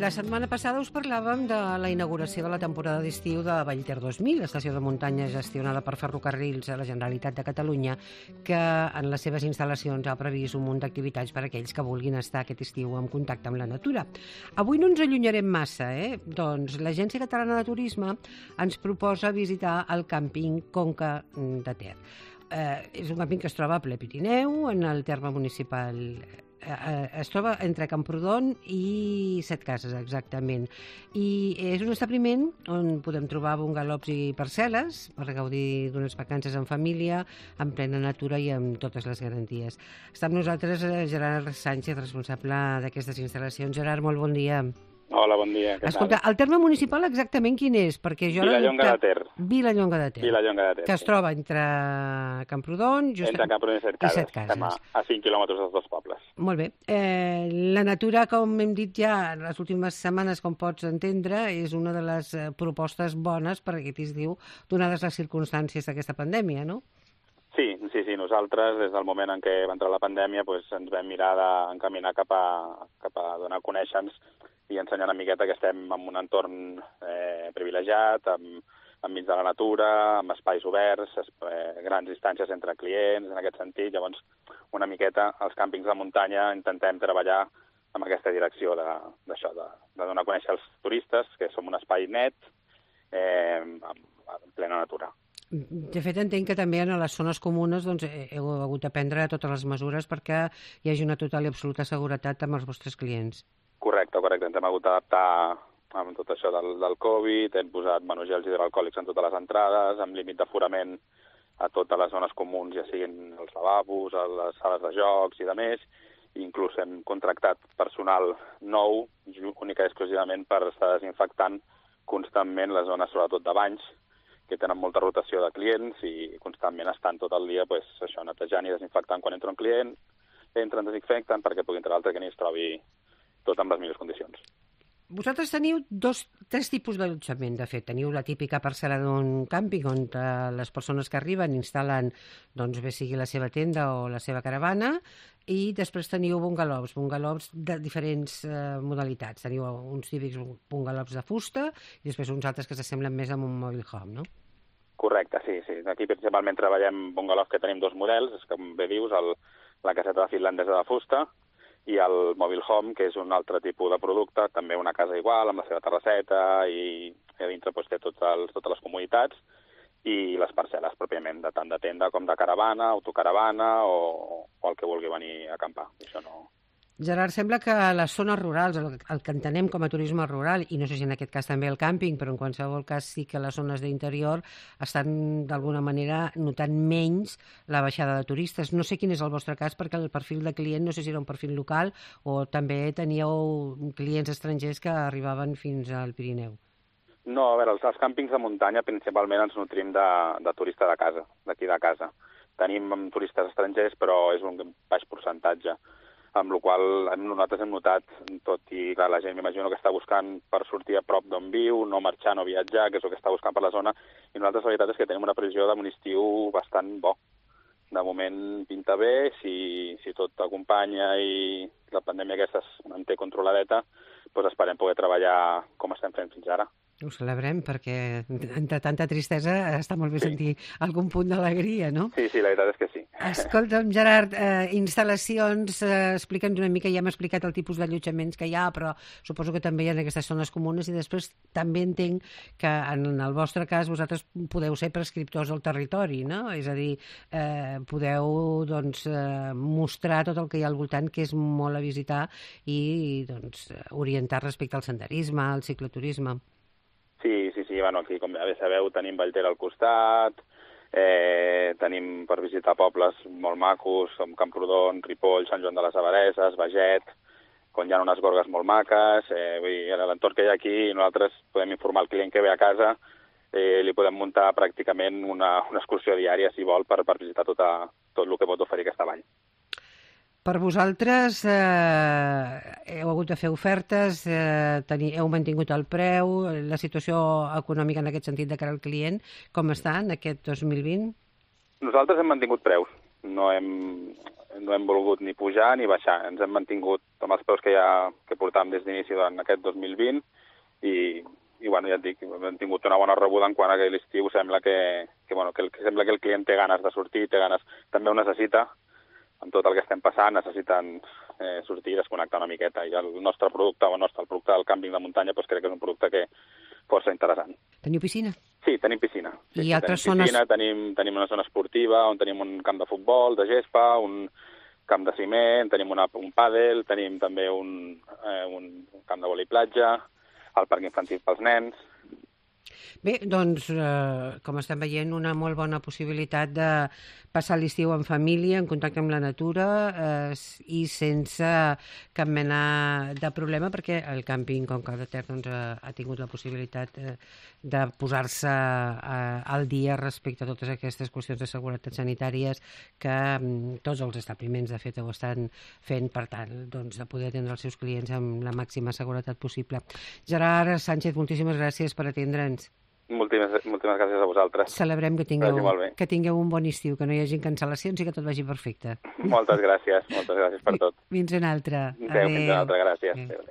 La setmana passada us parlàvem de la inauguració de la temporada d'estiu de Vallter 2000, estació de muntanya gestionada per Ferrocarrils a la Generalitat de Catalunya, que en les seves instal·lacions ha previst un munt d'activitats per a aquells que vulguin estar aquest estiu en contacte amb la natura. Avui no ens allunyarem massa, Doncs l'Agència Catalana de Turisme ens proposa visitar el càmping Conca de Ter. És un càmping que es troba a ple Pirineu, en el terme municipal. Es troba entre Camprodon i Setcases, exactament. I és un establiment on podem trobar bungalows i parcel·les per gaudir d'unes vacances en família, en plena natura i amb totes les garanties. Està amb nosaltres Gerard Sánchez, responsable d'aquestes instal·lacions. Gerard, molt bon dia. Hola, bon dia. Escolta, el terme municipal exactament quin és? Perquè jo Vilallonga de Ter. Vilallonga de Ter. Vilallonga de Ter. Que es troba entre Camprodon... Entre Camprodon i Setcases. Estem a 5 quilòmetres dels dos pobles. Molt bé. La natura, com hem dit ja les últimes setmanes, com pots entendre, és una de les propostes bones per aquest estiu, donades les circumstàncies d'aquesta pandèmia, no? Sí. Nosaltres, des del moment en què va entrar la pandèmia, ens vam mirar d'encaminar cap a donar a conèixer-nos i ensenyar una miqueta que estem en un entorn privilegiat, enmig de la natura, amb espais oberts, grans distàncies entre clients, en aquest sentit. Llavors, una miqueta, als càmpings de muntanya intentem treballar en aquesta direcció d'això, de donar a conèixer als turistes que som un espai net, en plena natura. De fet, entenc que també en les zones comunes heu hagut de prendre totes les mesures perquè hi hagi una total i absoluta seguretat amb els vostres clients. Correcte. Ens hem hagut d'adaptar amb tot això del Covid, hem posat gels hidroalcohòlics en totes les entrades, amb límit d'aforament a totes les zones comuns, ja siguin els lavabos, a les sales de jocs i de més. Inclús hem contractat personal nou, única i exclusivament per estar desinfectant constantment les zones, sobretot de banys, que tenen molta rotació de clients i constantment estan tot el dia netejant i desinfectant quan entra un client, entren, desinfecten perquè pugui entrar l'altre que ni es trobi tot en les millors condicions. Vosaltres teniu tres tipus d'allotjament, de fet. Teniu la típica parcel·la d'un càmping on les persones que arriben instal·len, bé sigui la seva tenda o la seva caravana, i després teniu bungalows de diferents modalitats. Teniu uns típics bungalows de fusta i després uns altres que s'assemblen més a un mobile home, no? Correcte, sí. Aquí principalment treballem bungalows que tenim dos models, és com bé dius, la caseta finlandesa de fusta i el mobile home, que és un altre tipus de producte, també una casa igual, amb la seva terrasseta i a dintre té totes les comoditats i les parcel·les pròpiament, de tant de tenda com de caravana, autocaravana o el que vulgui venir a acampar. Això no... Gerard, sembla que les zones rurals, el que entenem com a turisme rural, i no sé si en aquest cas també el càmping, però en qualsevol cas sí que les zones d'interior estan d'alguna manera notant menys la baixada de turistes. No sé quin és el vostre cas, perquè el perfil de client no sé si era un perfil local o també teníeu clients estrangers que arribaven fins al Pirineu. No, a veure, els càmpings de muntanya principalment ens nutrim de turista de casa, d'aquí de casa. Tenim turistes estrangers, però és un baix percentatge, amb la qual nosaltres hem notat, tot i que la gent m'imagino que està buscant per sortir a prop d'on viu, no marxar, no viatjar, que és el que està buscant per la zona, i nosaltres la veritat és que tenim una previsió d'un estiu bastant bo. De moment pinta bé, si tot acompanya i la pandèmia aquesta es manté controladeta, doncs esperem poder treballar com estem fent fins ara. Ho celebrem perquè entre tanta tristesa està molt bé sentir algun punt d'alegria, no? Sí, la veritat és que sí. Escolta'm, Gerard, instal·lacions, explica'ns una mica, ja hem explicat el tipus d'allotjaments que hi ha, però suposo que també hi ha aquestes zones comunes i després també entenc que en el vostre cas vosaltres podeu ser prescriptors del territori, no? És a dir, podeu mostrar tot el que hi ha al voltant, que és molt a visitar i orientar respecte al senderisme, al cicloturisme. Sí, aquí com bé sabeu tenim Vallter al costat, tenim per visitar pobles molt macos com Camprodon, Ripoll, Sant Joan de les Abadesses, Baget, on hi ha unes gorgues molt maques, a l'entorn que hi ha aquí nosaltres podem informar el client que ve a casa, li podem muntar pràcticament una excursió diària si vol per visitar tot el que pot oferir aquesta vall. Per vosaltres heu hagut de fer ofertes, heu mantingut el preu, la situació econòmica en aquest sentit de cara al client, com està en aquest 2020? Nosaltres hem mantingut preus, no hem no hem volgut ni pujar ni baixar. Ens hem mantingut amb els preus que portàvem des d'inici durant aquest 2020 i bueno, ja et dic, hem tingut una bona rebuda en quant a que l'estiu sembla sembla que el client té ganes de sortir, també ho necessita, amb tot el que estem passant, necessiten sortir i desconnectar una miqueta. I el nostre producte, el producte del càmping de muntanya, doncs crec que és un producte que força interessant. Teniu piscina? Sí, tenim piscina. I altres zones? Tenim una zona esportiva on tenim un camp de futbol, de gespa, un camp de ciment, tenim un pàdel, tenim també un camp de vòlei platja, el parc infantil pels nens. Bé, doncs, com estem veient, una molt bona possibilitat de passar l'estiu en família, en contacte amb la natura i sense cap mena de problema, perquè el càmping Conca de Ter doncs, ha tingut la possibilitat de posar-se al dia respecte a totes aquestes qüestions de seguretat sanitàries que tots els establiments, de fet, ho estan fent, per tant, doncs, de poder atendre els seus clients amb la màxima seguretat possible. Gerard Sánchez, moltíssimes gràcies per atendre'ns. Moltíssimes gràcies a vosaltres. Celebrem que tingueu un bon estiu, que no hi hagi cancel·lacions i que tot vagi perfecte. Moltes gràcies per tot. Fins una altra. Adéu. Fins una altra, gràcies. Adéu.